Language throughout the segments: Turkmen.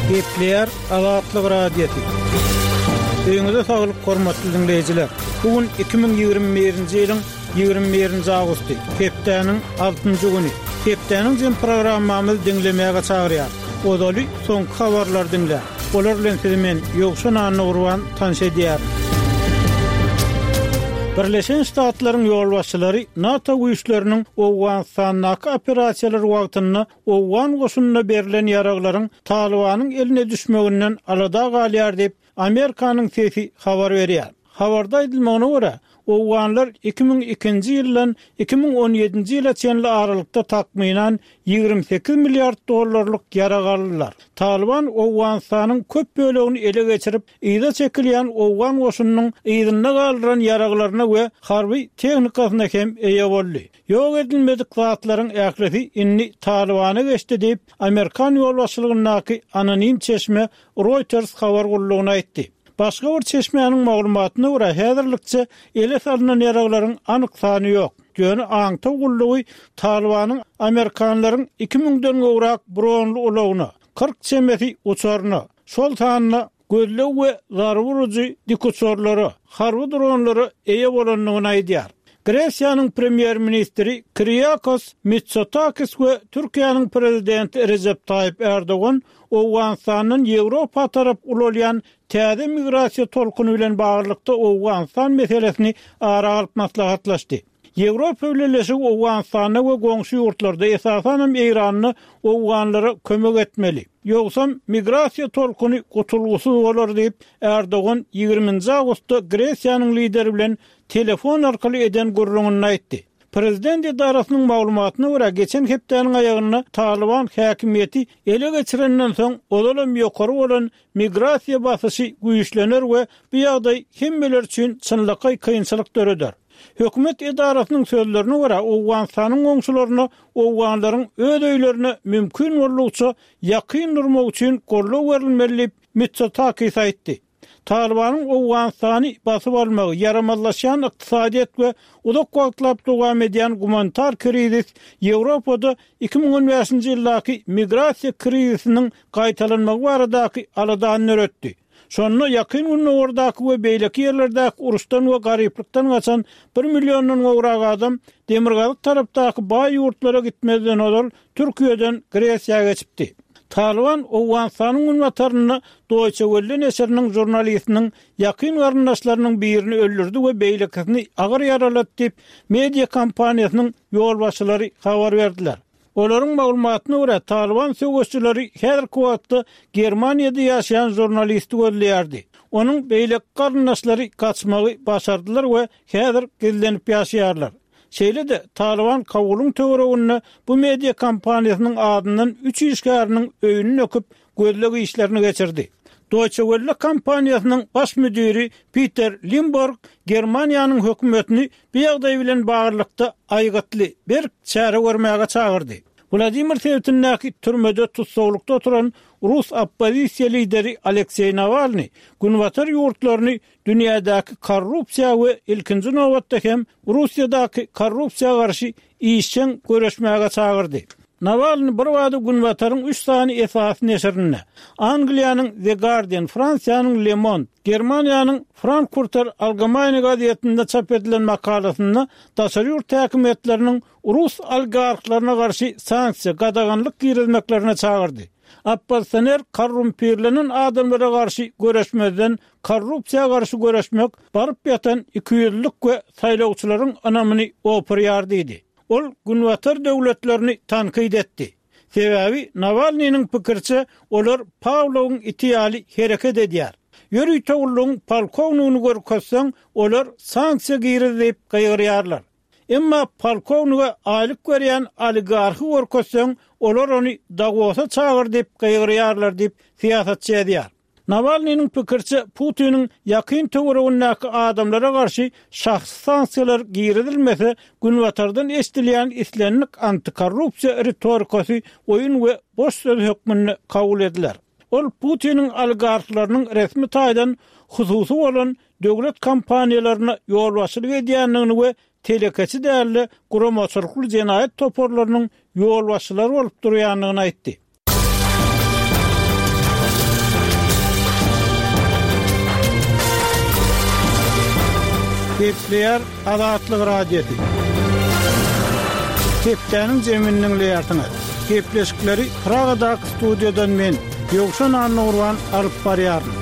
Gepleýär Azatlyk Radiosy. Öýüňize saglyk hormatly diňleýjiler. Bu gün 2021-nji ýylyň 21-nji awgusty, hepdäniň altynjy güni. Hepdäniň jem programmamyzy diňlemäge çagyrýar. Ozaly soňky habarlary diňläň. Olar bilen sizi men, Ýowşan Annagurban, tanyş edýärin. Birleşen Ştatlaryň ýolbaşçylary NATO güýçleriniň Owganystandaky operasiýalary wagtynda owgan goşunyna berlen ýaraglaryň Talybanyň eline düşmeginden alada galýar diýip, Amerikanyň sesi habar berýär. Habarda aýdylmagyna görä, owganlar 2002-nji ýyldan 2017-nji ýyla çenli aralykda takmynan 28 milliard dollarlyk ýarag aldylar. Talyban Owganystanyň köp bölegini ele geçirip, yza çekilýän owgan goşunynyň yzynda galdyran ýaraglaryna we harby tehnikasyna hem eýe boldy. Ýok edilmedik zatlaryň ählisi indi Talybana geçdi diýip, amerikan ýolbaşçylygyndaky anonim çeşme Reuters habar gullugyna aýtdy. Başga bir çeşmäniň maglumatyna görä, häzirlikçe ele salnan ýaraglaryň anyk sany ýok. Ýöne aňtaw gullugy Talybanyň amerikanlaryň iki müňden gowrak bronly ulagyna, 40 çemesi uçaryna, şol sanda gözleg we zarba urujy dikuçarlara, harby dronlara eýe bolandygyny aýdýar. Gresiýanyň premýer-ministri Kiriakos Mitsotakis we Türkiýäniň prezidenti Rejep Taýyp Ärdogan Owganystandan Ýewropa tarap ulalýan täze migrasiýa tolkuny bilen baglylykda Owganystan meselesini ara alyp maslahatlaşdy. Ýewropa Bileleşigi Owganystanda we goňşy ýurtlarda, esasanam Eýranda owganlara kömek etmeli. Ýogsam migrasiýa tolkuny gutulgysyz bolar diýip, Ärdogan ýigriminji awgustda Gresiýanyň lideri bilen telefon arkaly eden gürrüňinde aýtdy. Prezident edarasynyň maglumatyna görä, geçen hepdäniň aýagynda Talyban häkimiýeti ele geçirenden soň, ozalam ýokary bolan migrasiýa basyşy güýçlener we bu ýagdaý hemmeler üçin çynlakaý kynçylyk döreder. Hökümet edarasynyň sözlerine görä, Owganystanyň goňşularyna owganlaryň öz öýlerine mümkin boldugyça ýakyn durmagy üçin goldaw berilmeli diýip, Mitsotakis aýtdy. Talybanyň Owganystany basyp almagy, ýaramazlaşýan ykdysadyýet we uzak wagtlap dowam edýän gumanitar krizis Ýewropada 2015-nji ýyldaky migrasiýa krizisiniň gaýtalanmagy baradaky aladany döretdi. Şonda Ýakyn Gündogardaky we beýleki ýerlerdäki uruşdan we garyplykdan gaçan bir milliondan gowrak adam demirgazyk tarapdaky baý ýurtlara gitmezden ozal Türkiýeden Gresiýa geçipdi. Talyban Owganystanyň günbatarynda Deutsche Welle neşiriniň žurnalistiniň ýakyn garyndaşlarynyň birini öldürdi we beýlekisini agyr ýaralady diýip, media kompaniýasynyň ýolbaşçylary habar berdiler. Olaryň maglumatyna görä, Talyban söweşijileri häzirki wagtda Germaniýada ýaşaýan žurnalisti gözleýärdi. Onuň beýleki garyndaşlary gaçmagy başardylar we häzir gizlenip ýaşaýarlar. Şeýle-de, Talyban Kabulyň töwereginde bu media kompaniýasynyň azyndan üç işgäriniň öýüni döküp, gözleg işlerini geçirdi. Deutsche Welle kompaniýasynyň baş müdiri Piter Limborg Germaniýanyň hökümetini bu ýagdaý bilen baglylykda aýgytly, berk çäre görmäge çagyrdy. Wladimir sebitindäki türmede tussaglykda oturan rus oppozisiýa lideri Alekseý Nawalnyý Günbatar ýurtlaryny dünýädäki korrupsiýa we ilkinji nobatda hem Russiýadaky korrupsiýa garşy işjeň göreşmäge çagyrdy. Nawalny birbada Günbataryň üç sany esasy neşirinde, Angliýanyň The Guardian, Fransiýanyň Le Monde, Germaniýanyň Frankfurter Allgemeine gazetinde çap edilen makalasynda daşary ýurt häkimiýetleriniň rus oligarhlaryna garşy sanksiýa, gadaganlyk girizmeklerine çagyrdy. Oppozisioner korrumpirlenen adamlara garşy göreşmezden korrupsiýa garşy göreşmek baryp ýatan ikiýüzlülik we saýlawçylaryň ynamyny opurýar diýdi. Ol Günbatar döwletlerini tankyt etdi. Sebäbi Nawalnynyň pikiriçe, olar Pawlowyň iti ýaly hereket edýär. Ýörite gullugyň polkownigini görkezseň, olar sanksiýa giriz diýip gygyrýarlar. Emma polkownige aýlyk berýän oligarhy görkezseň, olar ony Dawosa çagyr diýip gygyrýarlar diýip, syýasatçy ýazýar. Nawalnynyň pikiriçe, Putiniň ýakyn töweregindäki adamlara garşy şahsy sanksiýalar girizilmese, Günbatardan eşidilýän islendik antikorrupsiýa ritorikasy oýun we boş söz hökmünde kabul ediler. Ol Putiniň oligarhlarynyň resmi taýdan hususy bolan döwlet kompaniýalaryna ýolbaşçylyk edýändigini we telekeçi däl-de, guramaçylykly jenaýat toparlarynyň ýolbaşçylary bolup durýandygyny aýtdy. Gepleýär Azatlyk Radiosy. Hepdäniň jemini diňleýärsiňiz. Gepleşikleri Pragadaky studiýadan men, Ýowşan Annagurban alyp barýaryn.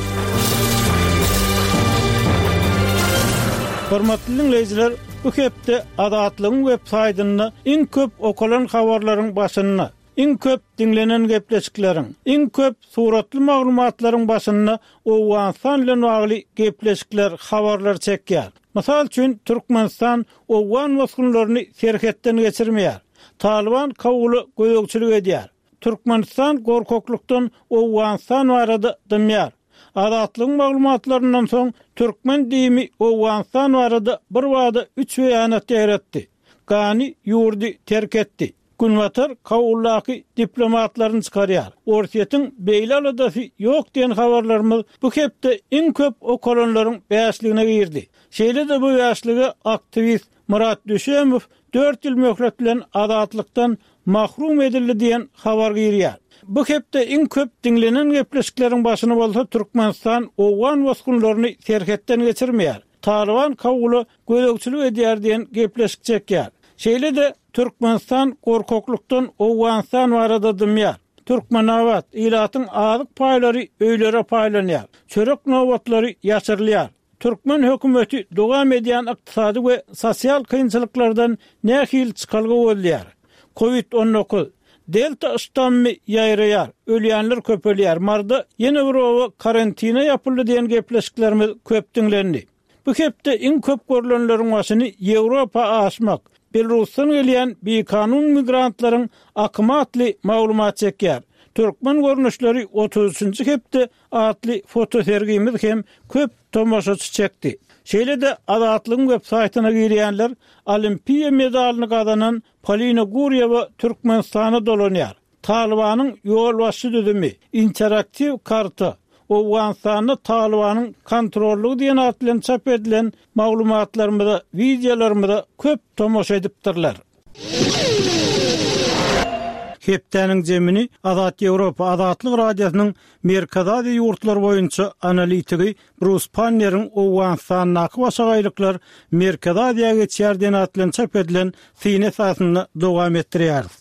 Hormatly diňleýjiler, bu hepde Azatlygyň web saýtynda iň köp okalan habarlaryň başynda, iň köp diňlenen gepleşikleriň, iň köp suratly maglumatlaryň başynda Owganystan bilen bagly gepleşikler, habarlar çekýär. Mysal üçin, Türkmenistan owgan bosgunlaryny serhetden geçirmeýär. Talyban Kabula gözegçilik edýär. Türkmenistan gorkaklykdan Owganystan barada dymýar. Azatlygyň maglumatlaryndan soň, türkmen DIM-i Owganystan barada birbada üç beýanat ýaýratdy. Gani ýurdy terk etdi. Günbatar Kabuldaky diplomatlaryny çykarýar. Orsýetiň beýle aladasy ýok diýen habarlarymyz bu hepde iň köp okalanlaryň bäşligine girdi. Şeýle-de bu bäşlige aktiwist Myrat Düşemow dört ýyl möhlet bilen azatlykdan mahrum edildi diýen habar girýär. Bu hepde iň köp diňlenen gepleşikleriň başyny bolsa Türkmenistan owgan bosgunlaryny serhetden geçirmeýär. Talyban Kabula gözegçilik edýär diýen gepleşik çekýär. Şeýle-de Türkmenistan gorkaklykdan Owganystan barada dymýar. Türkmenabat, ilatyň azyk paýlary öýlere paýlanýar. Çörek nobatlary ýaşyrylýar. Türkmen hökümeti dowam edýän ykdysady we sosial kynçylyklardan nähili çykalga gözleýär? Covid 19, Delta ştammy ýaýraýar, ölýänler köpelýär, Maryda ýene bir oba karantine ýapyldy diýen gepleşiklerimiz köp diňlendi. Bu hepde iň köp görlenleriň başyny Ýewropa aşmak, Belarusdan gelýän bikanun migrantlaryň akymy atly maglumat çekýär. Türkmen görnüşleri 33-nji hepde atly fotosergimiz hem köp tomaşaçy çekdi. Şeýle-de Azatlygyň web saýtyna girýänler Olimpiýa medalyny gazanan Polina Gurýewa Türkmenistana dolanýar. Talybanyň ýolbaşçy düzümi, interaktiw karta, Owganystanda Talybanyň kontrollygy diýen at bilen çap edilen maglumatlarymyza, wideolarymyza köp tomaşa edipdirler. Hepdäniň jemini Azat Ýewropa Azatlyk Radiosynyň Merkezi Aziýa ýurtlary boýunça analitigi Brus Panneriň Owganystandaky başagaýlyklar Merkezi Aziýa geçýär diýen at bilen çap edilen syny esasynda dowam etdirýäris.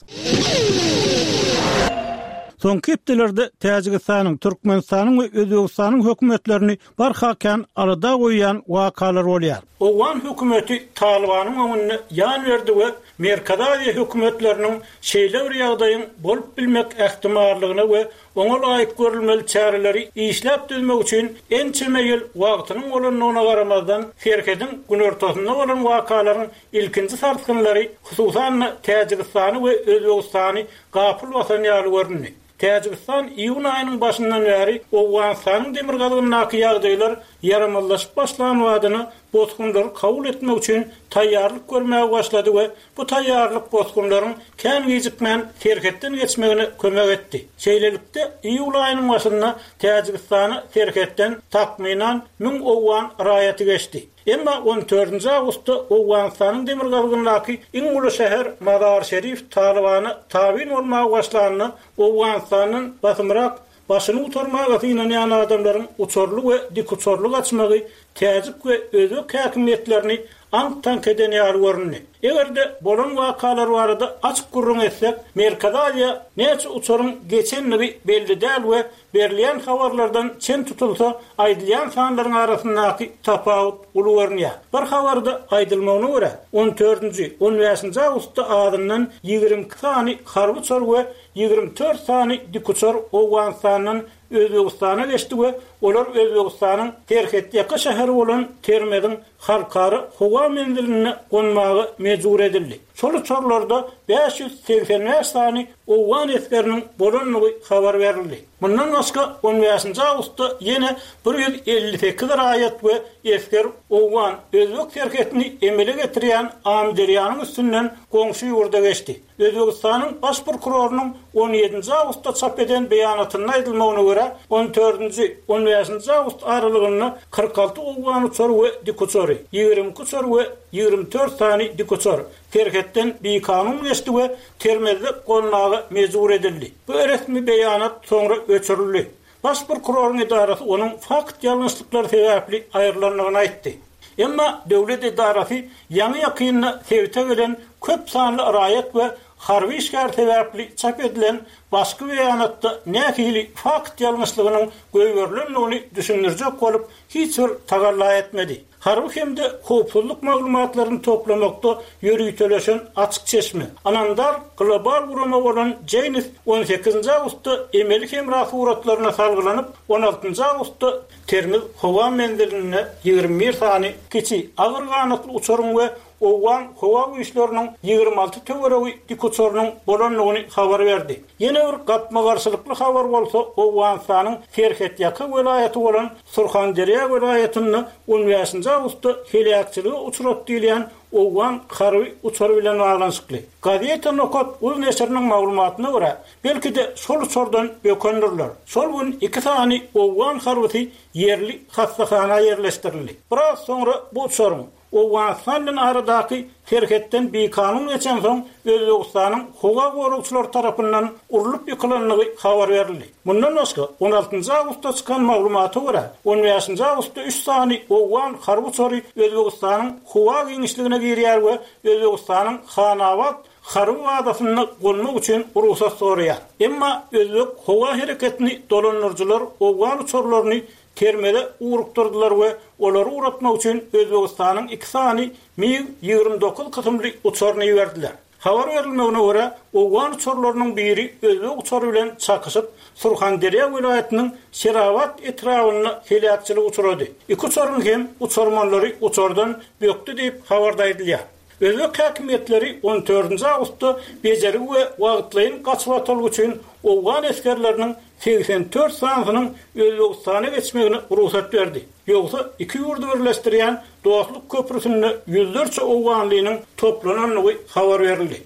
Soňky hepdelerde Täjigistanyň, Türkmenistanyň we Özbegistanyň hökümetlerini barha kän alada goýýan wakalar bolýar. Owgan hökümeti Talybanyň öňünde ýan berdi we Merkezi Aziýa hökümetleriniň şeýle bir ýagdaýyň bolup bilmek ähtimallygyna we oňa laýyk görülmeli çäreleri işläp düzmek üçin ençeme ýyl wagtynyň bolandygyna garamazdan, serhediň günortasynda bolan wakalaryň ilkinji sarsgynlary, hususan-da, Täjigistany we Özbegistany gapyl basan ýaly göründi. Täjigistan iýun aýynyň başyndan bäri Owganystanyň demirgazygyndaky ýagdaýlar ýaramazlaşyp başlan badyna bosgunlary kabul etmek üçin taýýarlyk görmäge başlady we bu taýýarlyk bosgunlaryň kän gijikmän serhetden geçmegine kömek etdi. Şeýlelikde, iýul aýynyň başynda Täjigistana serhetden takmynan müň owgan raýaty geçdi. Emma on dördünji awgustda Owganystanyň demirgazygyndaky iň uly şäher Mazar-Şerif Talybana tabyn bolmaga başlanda, Owganystandan basymrak başyny gutarmaga synanýan adamlaryň uçarly we dikuçarly gaçmagy täjik we özbek häkimiýetlerini aňk-taňk eden ýaly göründi. Eger-de bolan wakalar barada açyk gürrüň etsek, Merkezi Aziýa näçe uçaryň geçendigi belli däl we Berilýän habarlardan çen tutulsa, aýdylýan sanlaryň arasyndaky tapawut uly görünýär. Bir habarda aýdylmagyna görä, on dördünji, on bäşinji awgustda azyndan 22 sany harby uçar we 24 sany dikuçar Owganystandan Özbegistana geçdi we olar Özbegistanyň serhetýaka şäheri bolan Termeziň halkara howa menzilinde gonmaga mejbur edildi. Şol uçarlarda 585 sany owgan esgeriniň bolandygy habar berildi. Mundan başga, on bäşinji awgustda ýene 158 raýat we esger owgan, özbek serhetini emele getirýän Amyderýanyň üstünden goňşy ýurda geçdi. Özbegistanyň Baş prokurorynyň on ýedinji awgustda çap eden beýanatynda aýdylmagyna görä, on dördünji, on bäşinji awgust aralygynda 46 owgan uçary we dikuçary, 22 uçar we 24 sany dikuçar serhetden bikanun geçdi we Termezde gonmaga mejbur edildi. Bu resmi beýanat soňra öçürildi. Baş prokuroryň edarasy onuň fakt ýalňyşlyklary sebäpli aýrylandygyny aýtdy. Emma döwlet edarasy ýaňy-ýakynda sebite gelen köp sanly raýat we harby işgär sebäpli çap edilen başky beýanatda nähili fakt ýalňyşlygynyň goýberilendigini düşündirjek bolup hiç bir tagalla etmedi. Harby hem-de howpsuzlyk maglumatlaryny toplamakda ýöriteleşen açyk çeşme, ynamdar global gurama bolan Janes on sekizinji awgustda emeli hemra suratlaryna salgylanyp, on altynjy awgustda Termiz howa menzilinde 21 sany kiçi agyr ganatly uçaryň we owgan howa güýçleriniň 26 töweregi dikuçarynyň bolandygyny habar berdi. Ýene bir gapma-garşylykly habar bolsa Owganystanyň serhetýaka welaýaty bolan Surhanderýa welaýatynda on bäşinji awgustda heläkçilige uçrady diýilýän owgan harby uçary bilen baglanyşykly. Gazeta Nokat uz neşiriniň maglumatyna görä, belki-de şol uçardan bökendirler. Şol gün iki sany owgan harbysy ýerli hassahana ýerleşdirildi. Biraz soňra bu uçaryň Owganystan bilen aradaky serhetden bikanun geçensoň, Özbegistanyň howa goragçylary tarapyndan urlup ýykylandygy habar berildi. Mundan başga, on altynjy awgustda çykan maglumata görä, on bäşinji awgustda üç sany owgan harby uçary Özbegistanyň howa giňişligine girýär we Özbegistanyň Hanabat harby bazasynda gonmak üçin rugsat soraýar. Emma özbek howa hereketini dolandyryjylar owgan uçarlaryny Termeze ugrukdyrdylar we olary ugratmak üçin Özbegistanyň iki sany MiG 29 kysymly uçaryny iberdiler. Habar berilmegine görä, owgan uçarlarynyň biri özbek uçary bilen çakyşyp, Surhanderýa welaýatynyň Şerabat etrabynda heläkçilige uçrady. Iki uçaryň hem uçarmanlary uçardan bökdi diýip, habarda aýdylýar. Özbek häkimiýetleri on dördünji awgustda bejergi we wagtlaýyn gaçybatalga üçin owgan esgerleriniň 84 sanysynyň Özbegistana geçmegine rugsat berdi. Ýogsa iki ýurdy birleşdirýän Dostluk köprüsinde ýüzlerçe owganlynyň toplanandygy habar berildi.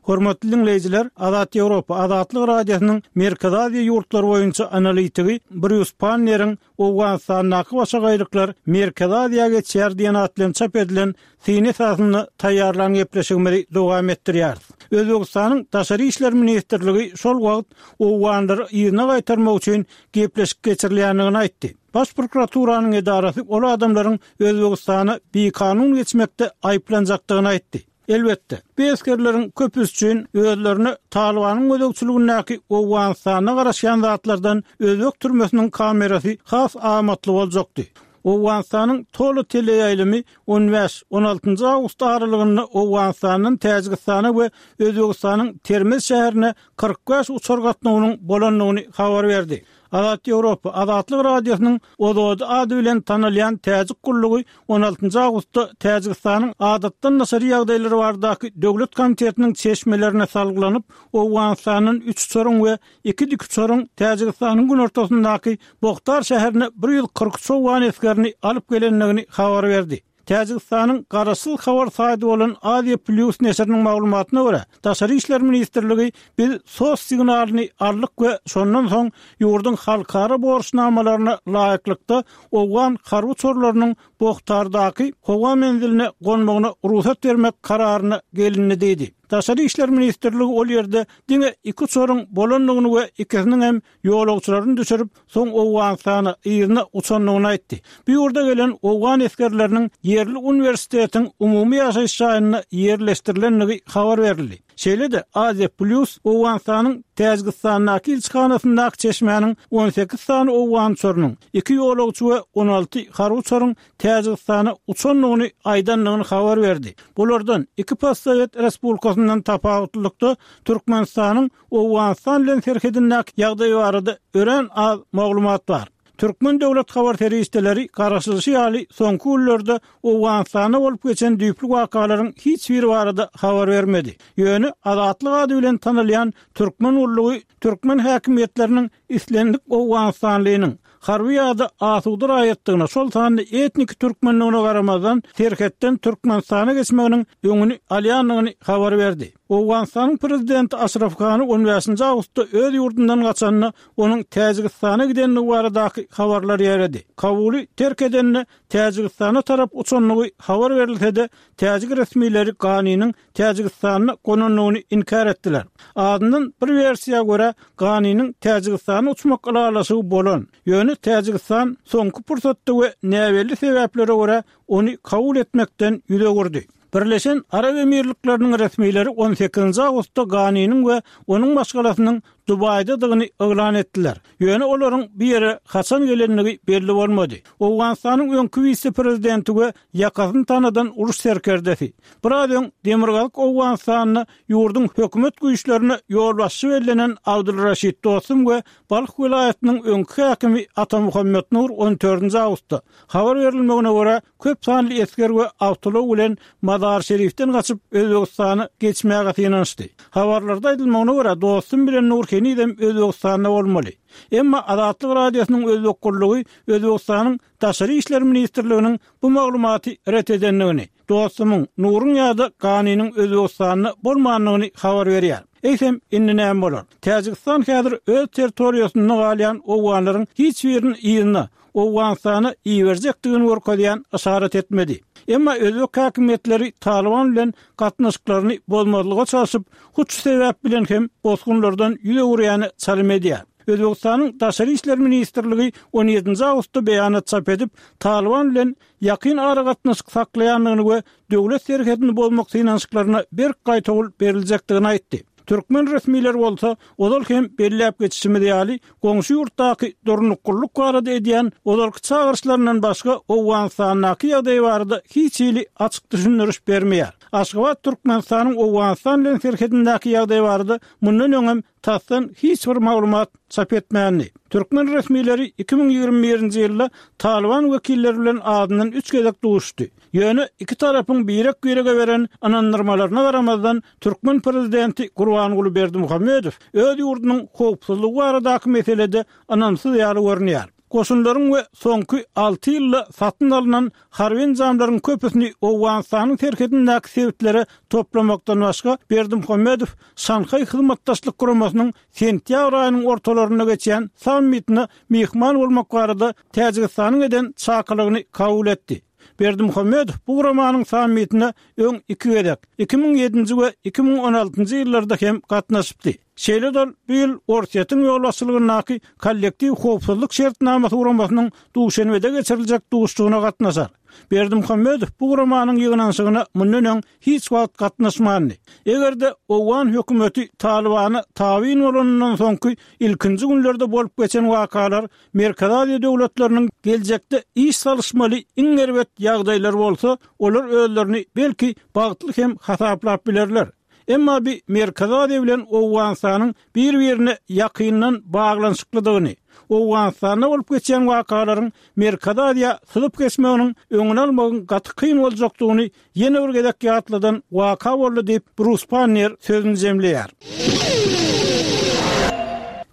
Hormatly diňleýjiler, Azat Ýewropa, Azatlyk Radiosynyň Merkezi Aziýa ýurtlary boýunça analitigi Brýus Panneriň Owganystandaky başagaýlyklar Merkezi Aziýa geçýär diýen at bilen çap edilen syny esasynda taýýarlan gepleşigimizi dowam etdirýäris. Özbegistanyň Daşary işler ministrligi şol wagt owganlary yzyna gaýtarmak üçin gepleşik geçirilýändigini aýtdy. Baş prokuraturanyň edarasy ol adamlaryň Özbegistana bikanun geçmekde aýyplanjakdygyny aýtdy. Elbetde, bu esgerleriň köpüsi üçin özlerine Talybanyň gözegçiligindäki Owganystanda garaşýan zatlardan özbek türmesiniň kamerasy has amatly boljakdy. Owganystanyň Tolo teleýaýlymy on bäş, on altynjy awgust aralygynda Owganystandan Täjigistana we Özbegistanyň Termez şäherine 45 uçar gatnawynyň bolandygyny habar berdi. Azat Ýewropa, Azatlyk Radiosynyň Ozodi ady bilen tanalýan täjik gullugy on altynjy awgustda Täjigistanyň Adatdan daşary ýagdaýlar baradaky döwlet komitetiniň çeşmelerine salgylanyp, Owganystandan üç uçaryň we iki dikuçaryň Täjigistanyň günortasyndaky Bohtar şäherine 143 owgan esgerini alyp gelendigini habar berdi. Täjigistanyň garaşsyz habar saýty bolan Aziýa Plýus neşiriniň maglumatyna görä, Daşary işler ministrligi biz sos signalyny aldyk we şondan soň ýurduň halkara borçnamalaryna laýyklykda owgan harby uçarlarynyň Bohtardaky howa menziline gonmagyna rugsat bermek kararyna gelindi diýdi. Daşary işler ministrligi ol ýerde diňe iki uçaryň bolandygyny we ikisiniň hem ýolagçylaryny düşürip, soň Owganystana yzyna uçandygyny aýtdy. Bu ýurda gelen owgan esgerleriniň ýerli uniwersitetiň umumy ýaşaýyş jaýynda ýerleşdirilendigi habar berildi. Şeýle-de, Aziýa Plýus Owganystanyň Täjigistandaky ilçihanasyndaky çeşmäniň 18 sany owgan uçarynyň, iki ýolagçy we 16 harby uçaryň Täjigistana uçandygyny aýdandygyny habar berdi. Bulardan iki postsowet respublikasyndan tapawutlylykda Türkmenistanyň Owganystan bilen serhedindäki ýagdaý barada örän az maglumat bar. Türkmen döwlet habar serişdeleri garaşylyşy ýaly soňky günlerde Owganystanda bolup geçen düýpli wakalaryň hiç biri barada habar bermedi. Ýöne Azatlyk ady bilen tanalýan türkmen gullugy türkmen häkimiýetleriniň islendik owganystanlynyň, harby ýa-da asuda raýatdygyna, şol sanda etniki türkmendigine garamazdan serhetden Türkmenistana geçmeginiň öňüni alýandygyny habar berdi. Owganystanyň prezidenti Aşraf Gani on bäşinji awgustda öz ýurdundan gaçanda, onuň Täjigistana gidendigi baradaky habarlar ýaýrady. Kabuly terk edende Täjigistana tarap uçandygy habar berilse-de, täjik resmileri Ganiniň Täjigistanda gonandygyny inkär etdiler. Azyndan bir wersiýa görä, Ganiniň Täjigistana uçmak ylalaşygy bolan, ýöne Täjigistan soňky pursatda we näbelli sebäplere görä ony kabul etmekden ýüz öwürdi. Birleşen Arap Emirlikleriniň resmileri on sekizinji awgustda Ganiniň we onuň maşgalasynyň Dubaýdadygyny yglan etdiler. Ýöne olaryň bu ýere haçan gelendigi belli bolmady. Owganystanyň öňki wise-prezidenti we ýakasyny tanadan uruş serkerdesi, biraz öň Demirgazyk Owganystanda ýurduň hökümet güýçlerine ýolbaşçy bellenen Abdul Raşid Dostum we Balh welaýatynyň öňki häkimi Atamuhammet Nur on dördünji awgustda, habar berilmegine görä, köp sanly esger we awtoulag bilen Mazar-Şerifden gaçyp, Özbegistana geçmäge synanyşdy. Habarlarda aýdylmagyna görä, Dostum bilen Nur henizem Özbegistanda bolmaly. Emma Azatlyk Radiosynyň Özbek gullugy Özbegistanyň Daşary işler ministrliginiň bu maglumaty ret edendigini, Dostumyň, Nuruň ýa-da Ganiniň Özbegistanda bolmandygyny habar berýär. Eýsem, indi näme bolar? Täjigistan häzir öz territoriýasynda galýan owganlaryň hiç birini yzyna, Owganystana iberjekdigini görkezýän yşarat etmedi. Emma özbek häkimiýetleri Talyban bilen gatnaşyklaryny bozmazlyga çalşyp, hut şu sebäp bilen hem bosgunlardan ýüz öwürýäne çalym edýär. Özbegistanyň Daşary işler ministrligi on ýedinji awgustda beýanat çap edip, Talyban bilen ýakyn aragatnaşyk saklaýandygyny we döwlet serhedini bozmak synanyşyklaryna berk gaýtawul beriljekdigini aýtdy. Türkmen resmileri bolsa, ozal hem belläp geçişimiz ýaly, goňşy ýurtdaky durnuklylyk barada edýän ozalky çagyryşlaryndan başga Owganystandaky ýagdaý barada hiç hili açyk düşündiriş bermeýär. Aşgabat Türkmenistanyň Owganystan bilen serhedindäki ýagdaý barada mundan öňem tasdan hiç bir maglumat çap etmändi. Türkmen resmileri 2021-nji ýylda Talyban wekilleri bilen azyndan üç gezek duşuşdy. Ýöne iki tarapyň birek-birege beren ynandyrmalaryna garamazdan, türkmen prezidenti Gurbanguly Berdimuhamedow öz ýurdunyň howpsuzlygy baradaky meselede ynamsyz ýaly görünýär. Goşunlaryň we soňky alty ýylda satyn alnan harby enjamlaryň köpüsini Owganystanyň serhedindäki sebitlere toplamakdan başga, Berdimuhamedow Şanhaý Hyzmatdaşlyk Guramasynyň sentýabr aýynyň ortalarynda geçýän sammitine myhman bolmak barada Täjigistanyň eden çakylygyny kabul etdi. Berdimuhamedow bu guramanyň sammitine öň iki gezek, 2007-nji we 2016-njy ýyllarda hem gatnaşypdy. Şeýle-de ol bu ýyl Orsýetiň ýolbaşçylygyndaky Kollektiw howpsuzlyk şertnamasy guramasynyň Duşenbede geçiriljek duşuşygyna gatnaşar. Berdimuhamedow bu guramanyň ýygnanyşygyna mundan öň hiç wagt gatnaşmandy. Eger-de owgan hökümeti Talybana tabyn bolanyndan soňky ilkinji günlerde bolup geçen wakalar Merkezi Aziýa döwletleriniň geljekde iş salyşmaly iň erbet ýagdaýlary bolsa, olar özlerini belki bagtly hem hasaplap bilerler. Emma bi Merkezi Aziýa bilen Owganystanyň bir-birine ýakyndan baglanyşyklydygyny, Owganystanda bolup geçýän wakalaryň Merkezi Aziýa syzyp geçmeginiň öňüni almagyň gaty kyn boljakdygyny ýene bir gezek ýatladan waka boldy diýip, Brus Pannier sözüni jemleýär.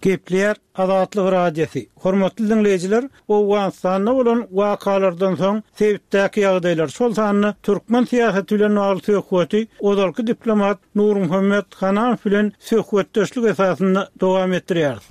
Gepleýär Azatlyk Radiosy, Hormatly diňleýjiler, Owganystanda bolan wakalardan soň sebitdäki ýagdaýlar, şol sanda türkmen syýasaty bilen bagly söhbeti ozalky diplomat Nurmuhammet Hananow bilen söhbetdeşlik esasynda dowam etdirýäris.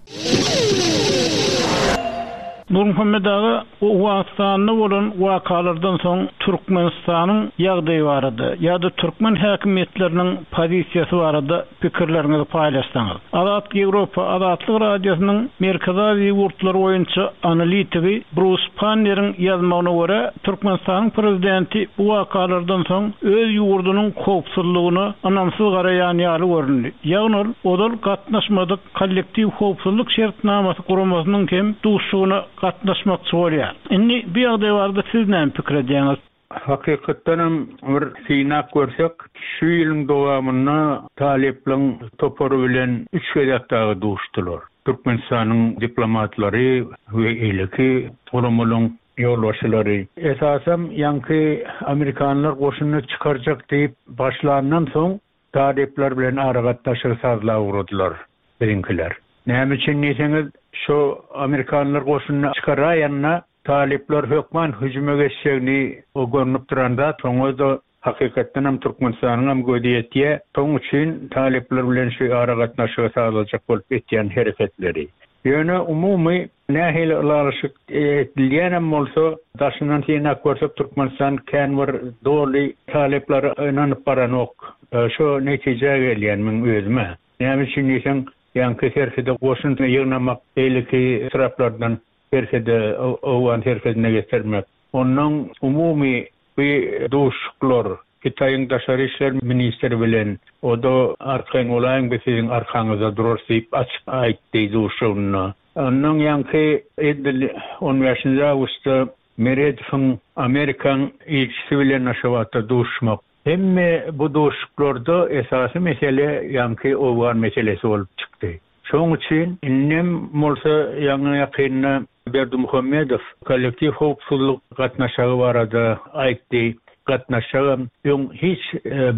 Nurmuhammet aga, Owganystanda bolan wakalardan soň Türkmenistanyň ýagdaýy barada ýa-da türkmen häkimiýetleriniň pozisiýasy barada pikirleriňizi paýlaşsaňyz. Azat Ýewropa Azatlyk Radiosynyň Merkezi Aziýa ýurtlary boýunça analitigi Brus Panneriň ýazmagyna görä, Türkmenistanyň prezidenti bu wakalardan soň öz ýurdunyň howpsuzlygyna ynamsyz garaýan ýaly göründi. Ýagny ol ozal gatnaşmadyk Kollektiw howpsuzlyk şertnamasy guramasynyň hem duşuşygyna gatnaşmakçy bolýar. Indi bu ýagdaý barada siz näme pikir edýäňiz? Hakykatdanam bir synap görsek, şu ýylyň dowamynda talyplaryň topary bilen üç gezek dagy duşdular. Türkmenistanyň diplomatlary we beýleki guramalaryň ýolbaşçylary. Esasam ýaňky amerikanlar goşunyny çykarjak diýip başlandan soň Talyplar bilen aragatnaşygy sazlap ugradylar biziňkiler. Näme üçin diýseňiz, şo amerikanlar goşunyny çykaraýanda talyplar hökman hüjüme geçjegini o görnüp duran zat, şoňa-da. Hakykatdanam Türkmenistanyňam gözi ýetýär. Şoň üçin talyplar bilen şu aragatnaşygy sazlajak bolup etýän hereketleri. Ýöne umumy nähili ylalaşyk edilýänem bolsa, daşyndan synap görsek Türkmenistan kän bir doly talyplara ynanyp baranok. Şo netijä gelýän meň özüm-ä. Näme üçin diýseň, ýaňky serhede goşun ýygnamak, beýleki etraplardan serhede, owgan serhedine getirmek. Onnoň umumy bu duşuşyklar Hytaýyň daşary işler ministri bilen, o-da arkaýyn bolaýyň biz siziň arkaňyzda durarys diýip açyk aýtdy duşuşygynda. Onnoň ýaňky edil on bäşinji awgustda Meredowyň Amerikaň ilçisi bilen Aşgabatda duşuşmak. Hemme bu duşuşyklarda esasy mesele ýaňky owgan meselesi bolup çykdy. Şoň üçin indem bolsa ýaňy-ýakynda Berdimuhamedow kollektiw howpsuzlyk gatnaşagy barada aýtdy. Gatnaşjagam öň hiç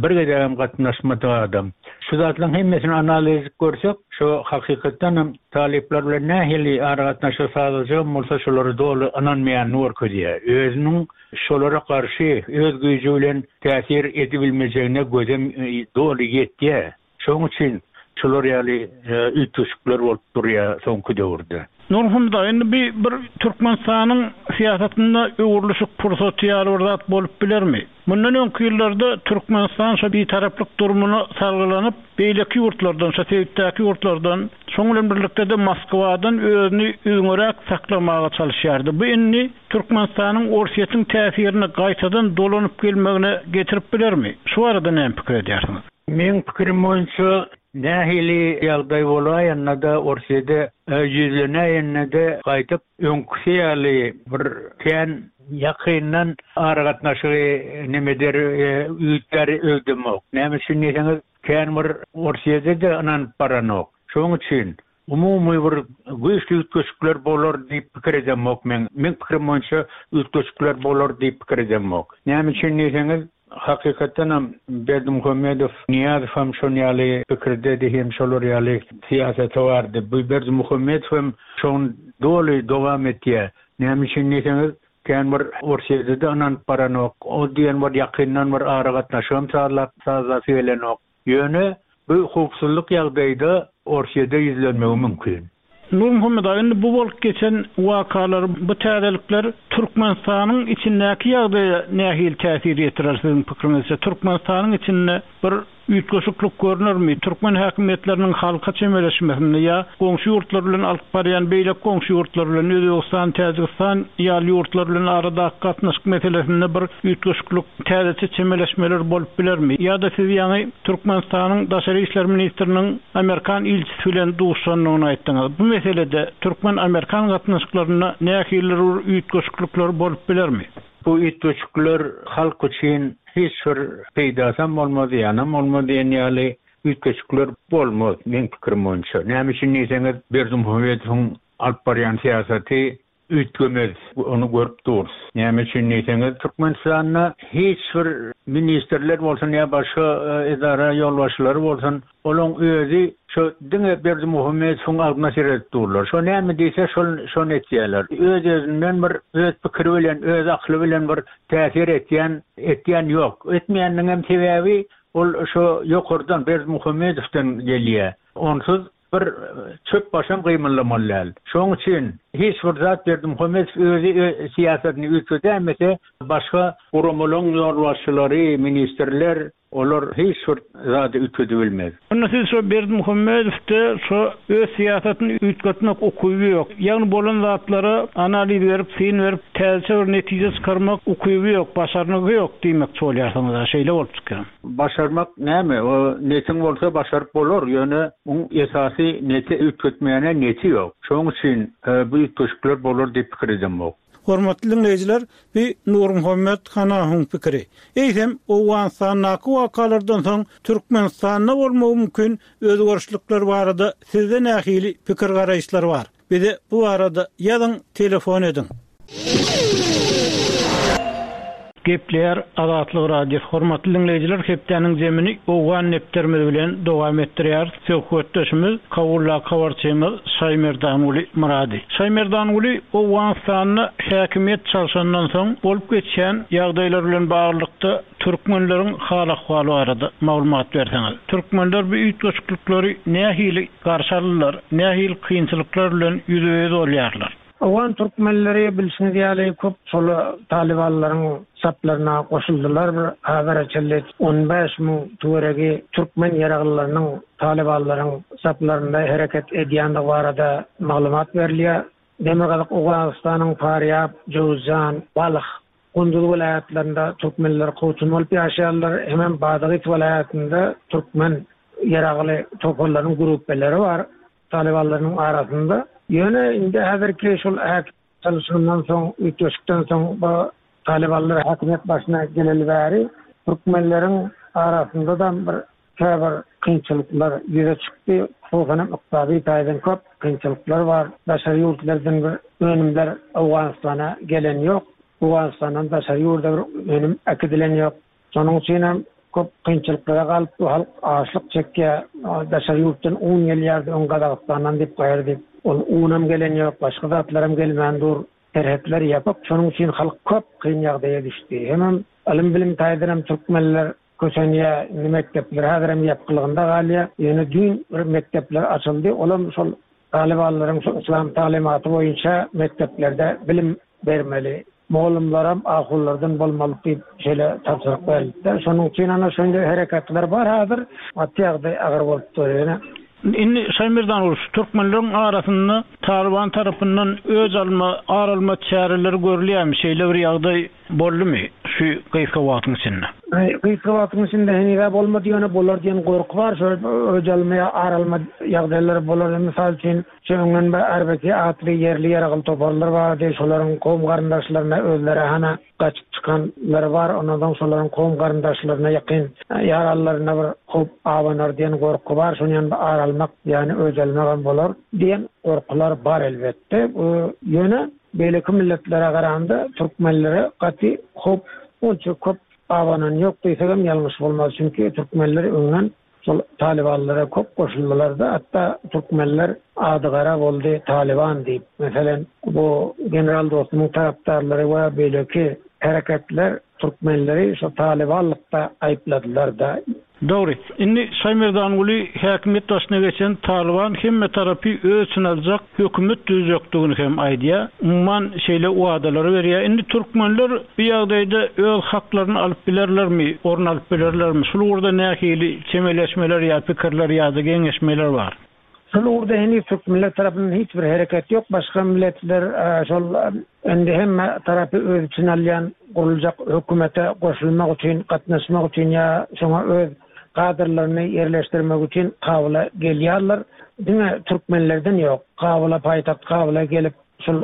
bir gezegem gatnaşmadyk adam. Şu zatlaryň hemmesini analiz edip görsek, şu hakykatdanam talyplar bilen nähili aragatnaşyk sazlajagam bolsa şolara doly ynanmaýanyny görkezýär. Özüniň şolara garşy öz güýji bilen täsir edibilmejegine gözem doly ýetýär. Şonuň üçin şular ýaly üýtgeşikler bolup durýar soňky döwürde. Nurhun daýy, indi bi bir Türkmenistanyň syýasatynda öwrülişik pursaty ýaly bir zat bolup bilermi? Mundan öňki ýyllarda Türkmenistan şo bitaraplyk durumyna salgylanyp, beýleki ýurtlardan, şo sebitdäki ýurtlardan, şoň bilen birlikde-de Moskwadan özüni üzňeräk saklamaga çalyşýardy. Bu indi Türkmenistanyň Orsýetiň täsirine gaýtadan dolanyp gelmegine getirip bilermi? Şu barada näme pikir edýärsiňiz? Meň pikirim boýunça, nähili ýagdaý bolaýanda-da, Orsýede ýüzlenäýende-de gaýdyp öňküsi ýaly bir kän ýakyndan aragatnaşygy neme eder, üýtgär öýdemok. Näme üçin diýseňiz, kän bir Orsýede-de ynanyp baranok. Şonuň üçin umumy bir güýçli üýtgeşikler bolar diýip pikir edemok men. Meň pikirim boýunça üýtgeşikler bolar diýip pikir edemok. Näme üçin diýseňiz, hakykatdanam Berdimuhamedow, Nyýazow hem şon ýaly pikirdedi hem şolar ýaly syýasaty bardy. Bu Berdimuhamedow hem şony doly dowam etýär. Näme üçin diýseňiz, kän bir Orsýede-de ynanyp baranok. O diýen bir ýakyndan bir aragatnaşygam sazlap sazlasy gelenok. Ýöne bu howpsuzlyk ýagdaýda Orsýede ýüzlenmegi mümkin. Nurmuhammet aga, indi bu bolup geçen wakalar, bu täzelikler Türkmenistanyň içindäki ýagdaýa nähili täsir ýetirer siziň pikiriňizçe? Türkmenistanyň içinde bir üýtgeşiklik görnermi? Türkmen häkimiýetleriniň halka çemeleşmesinde ýa goňşy ýurtlar bilen alyp barýan beýleki goňşy ýurtlar bilen, Özbegistan, Täjigistan ýaly ýurtlar bilen aradaky gatnaşyk meselesinde bir üýtgeşiklik, täzeçe çemeleşmeler bolup bilermi? Ýa-da siz ýaňy Türkmenistanyň Daşary işler ministriniň amerikan ilçisi bilen duşuşandygyny aýtdyňyz. Bu meselede türkmen-amerikan gatnaşyklarynda nähilidir bir üýtgeşiklikler bolup bilermi? Bu üýtgeşikler halk üçin hiç bir peýdasam bolmaz, zyýanam bolmaz diýen ýaly üýtgeşikler bolmaz, meň pikirim boýunça. Näme üçin diýseňiz, Berdimuhamedowyň alyp barýan syýasaty üýtgemez, ony görüp durus. Näme üçin diýseňiz, Türkmenistanda hiç bir ministrler bolsun ýa başga edara ýolbaşçylary bolsun, olaň özi şo diňe Berdimuhamedowyň agzyna seredip durlar. Şo näme diýse, şol şony etýärler. Öz-özünden bir öz pikiri bilen, öz akyly bilen bir täsir etýän etýän ýok. Etmeýäniniňem sebäbi Ol şo ýokardan, Berdimuhamedowdan gelýä. Onsuz bir çöp başam gymyldamaly däl. Şoň üçin hiç bir zat Berdimuhamedow özi syýasatyny üýtgedäýmese, başga guramalaryň ýolbaşçylary, ministrler, olar hiç bir zady üýtgedibilmez. Onda siz şo Berdimuhamedowda şo öz syýasatyny üýtgetmek ukyby ýok. Ýagny bolan zatlara analiz berip, syn berip, täzeçe bir netije çykarmak ukyby ýok, başarnygy ýok diýmekçi bolýarsyňyz-a, şeýle bolup çykýar. Başarmak näme, o netiň bolsa başaryp bolar, ýöne oň esasy neti üýtgetmäne neti ýok. Şoň üçin bu üýtgeşikler bolar diýip pikir edemok. Hormatly diňleýjiler, bu Nurmuhammet Hanahyň pikiri. Eýsem, Owganystandaky wakalardan soň Türkmenistanda bolmagy mümkin özgerişlikler barada sizde nähili pikir-garaýyşlar bar? Bize bu barada ýazyň, telefon ediň. Gepleýär Azatlyk Radiosy. Hormatly diňleýjiler, hepdäniň zemini Owgan depderimiz bilen dowam etdirýäris. Söhbetdeşimiz Kabuldaky habarçymyz Şaýmerdanguly Myrady. Şaýmerdanguly, Owganystanda häkimiýet çalşandan soň bolup geçýän ýagdaýlar bilen baglylykda türkmenleriň hal-ahwaly barada maglumat berseňiz. Türkmenler bu üýtgeşiklikleri nähili garşy aldylar, nähili kynçylyklar bilen ýüzbe-ýüz bolýarlar? Owgan türkmenleri bilşiňiz ýaly köp şol talybanlaryň saplaryna goşuldylar. Bir hazara çenli 15 000 töweregi türkmen ýaraglylarynyň talybanlaryň saplarynda hereket edýändigi barada maglumat berilýär. Demirgazyk Owganystanyň Farýab, Jöwüzjan, Balh, Gunduz welaýatlarynda türkmenler kowçum bolup ýaşaýarlar. Hemem Badagys welaýatynda türkmen ýaragly toparlaryň grupbeleri bar. Talybanlarynyň arasynda. Ýöne indi häzirki şol häkimiýet çalyşygyndan soň, üýtgeşikden soň bu talybanlar häkimiýet başyna geleli bäri türkmenleriň arasynda-da bir käbir kynçylyklar ýüze çykdy. Hususan hem ykdysady taýdan köp kynçylyklar bar. Daşary ýurtlardan bir önümler Owganystana gelen ýok. Owganystandan daşary ýurda bir önüm äkidilen ýok. Şonuň üçin hem köp kynçylyklara galyp bu halk açlyk çekýär. Daşary ýurtdan un gelýärdi öň Gazagystandan diýip gaýry diýip. Ol unam gelen ýok, başga zatlaram gelmän dur. Serhetler ýapyk. Şonuň üçin halk köp kyn ýagdaýa düşdi. Hemem ylym-bilim taýdan hem türkmenler kösenýär. Indi mekdepler häzirem ýapykylygynda galýar. Ýöne düýn bir mekdepler açyldy. Olam şol talybanlaryň şu yslam taglymaty boýunça mekdeplerde bilim bermeli. Mugallymlaram ahunlardan bolmaly diýip şeýle tabşyryk berilipdir. Şonuň üçin ana şonda hereketler bar häzir. Gaty ýagdaý agyr bolup dur ýöne. Indi Şaýmerdan şu türkmenleriň arasynda Talyban tarapyndan öç alma, ar alma çäreleri görülýärmi? Şeýle bir ýagdaý boldumy şu gysga wagtyň içinde? Gysga wagtyň içinde heniz-ä bolmady, ýöne bolar diýen gorky bar. Şol öç alma ýa ar alma ýagdaýlary bolar. Mysal üçin, Şu öňden bir Arbeki atly ýerli ýaragly toparlar bardy, şolaryň kowum-garyndaşlaryna özleri hana gaçyp çykanlary bar, ondan soň şolaryň kowum-garyndaşlaryna ýakyn ýaranlaryna bir howp abanar diýen gorky bar, şonuň ýaly bir ar almak, ýagny öç almagam bolar diýen gorkular bar elbetde. Bu ýöne beýleki milletlere garanda türkmenlere gaty howp onça köp abanan ýok diýsegem ýalňyş bolmaz, çünki türkmenler öňden Şol talybanlara köp goşuldylarda hatda türkmenler ady gara boldy talyban diýip. Meselem bu general Dostumyň tarapdarlary we beýleki hereketler türkmenleri şo talybanlykda aýypladylarda. Dogry. Indi Şaýmerdanguly häkimiýet başyna geçen Talyban hemme tarapy öz içine aljak hökümet düzjekdigini hem aýdýar. Umuman şeýle wadalary berýär. Indi türkmenler bu ýagdaýda öz haklaryny alyp bilerlermi, orun alyp bilerlermi? Şul ugurda nähili çemeleşmeler ýa pikirler ýa-da geňeşmeler bar? Şul ugurda heniz türkmenler tarapyndan hiç bir hereket ýok. Başga milletler şol indi hemme tarapy öz içine alýan guruljak hökümete goşulmak üçin, gatnaşmak üçin ýa şoňa öz kadrlaryny ýerleşdirmek üçin Kabula gelýärler. Diňe türkmenlerden ýok. Kabula, paýtagt Kabula gelip, şol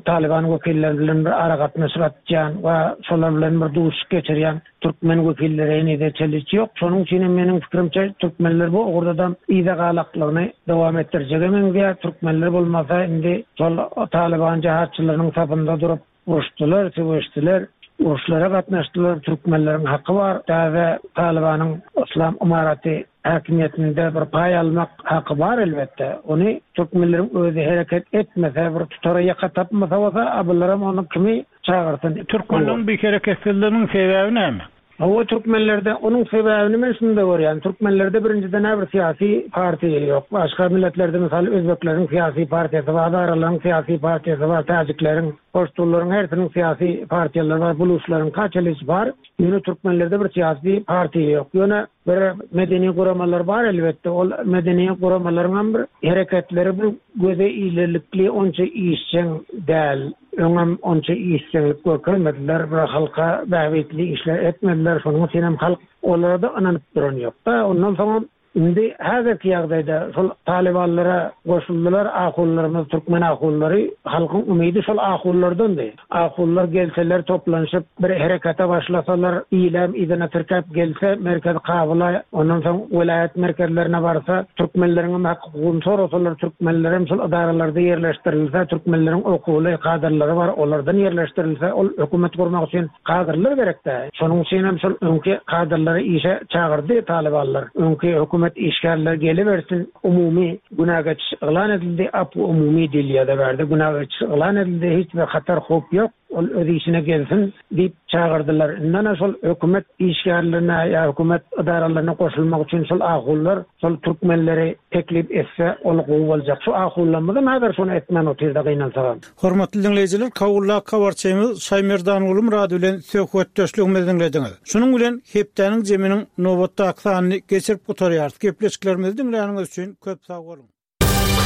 Talyban wekilleri bilen bir aragatnaşyk atýan we şolar bilen bir duşuşyk geçirýän türkmen wekilleri henize çenli hiç ýok. Şonuň üçin hem meniň pikirimçe türkmenler bu ugurda-da yza galaklygyny dowam etdirjege meňzeýär. Türkmenler bolmasa indi şol Talyban jahatçylarynyň sapynda durup, Uruşdylar, söweşdiler, uruşlara gatnaşdylar, türkmenleriň haky bar, täze Talybanyň Yslam ymaraty häkimiýetinde bir paý almak haky bar elbetde. Ony türkmenleriň özi hereket etmese, bir tutara ýaka tapmasa bolsa, a bularam ony kimi çagyrsyn? Türkmenleriň bu hereketsizliginiň sebäbi näme? Hawa türkmenlerde onuň sebäbini men şunda görýän türkmenlerde birinjiden-ä bir syýasy partiýa ýok başga milletlerde mysal özbekleriň syýasy partiýasy bar hazaralaryň syýasy partiýasy bar täjikleriň poştunlaryň hersiniň syýasy partiýalary bar buluçlaryň kaçalyç bar ýöne türkmenlerde bir syýasy partiýa ýok ýöne bir medeni guramalar bar elbetde ol medeni guramalaryňam bir hereketleri bir göze ilerlikli onça işjeň däl. Öňem onça işjeňlik görkezmediler, bir halka bähbitli işler etmediler, şonuň üçinem halk olara-da ynanyp duran ýok-da. Ondan soňam Indi häzirki ýagdaýda şol talybanlara goşuldylar ahunlarymyz, türkmen ahunlary, halkyň umydy şol ahunlardandy. Ahunlar gelseler toplanyşyp bir herekete başlasalar, ilem yzyna tirkäp gelse merkezi Kabula, ondan soň welaýat merkezlerine barsa, türkmenleriňem hak-hukugyny sorasalar, türkmenlerem şol edaralarda ýerleşdirilse, türkmenleriň okuwly kadrlary bar, olardan ýerleşdirilse, ol hökümet gurmak üçin Kadrlar gerek-dä. Şonuň üçinem şol öňki kadrlary işe çagyrdy talybanlar. Öňki hökümet işgärleri gelibersin, umumy günä geçiş yglan edildi, apw umumy diýilýär-de bärde, günä geçiş yglan edildi, hiç bir hatar howp ýok, ol öz işine gelsin diýip çagyrdylar. Indi ana şol hökümet işgärlerine ýa hökümet edaralaryna goşulmak üçin şol ahunlar şol türkmenleri teklip etse ol gowy boljak. Şu ahunlarymyzam häzir şony etmän otyrda gynansagam. Hormatly diňleýjiler, Kabuldaky habarçymyz Şaýmerdanguly Myrady bilen söhbetdeşligimizi diňlediňiz. Şunuň bilen hepdäniň jeminiň nobatdaky sanyny geçirip gutarýarys. Gepleşiklerimizi diňläniňiz üçin köp sag boluň!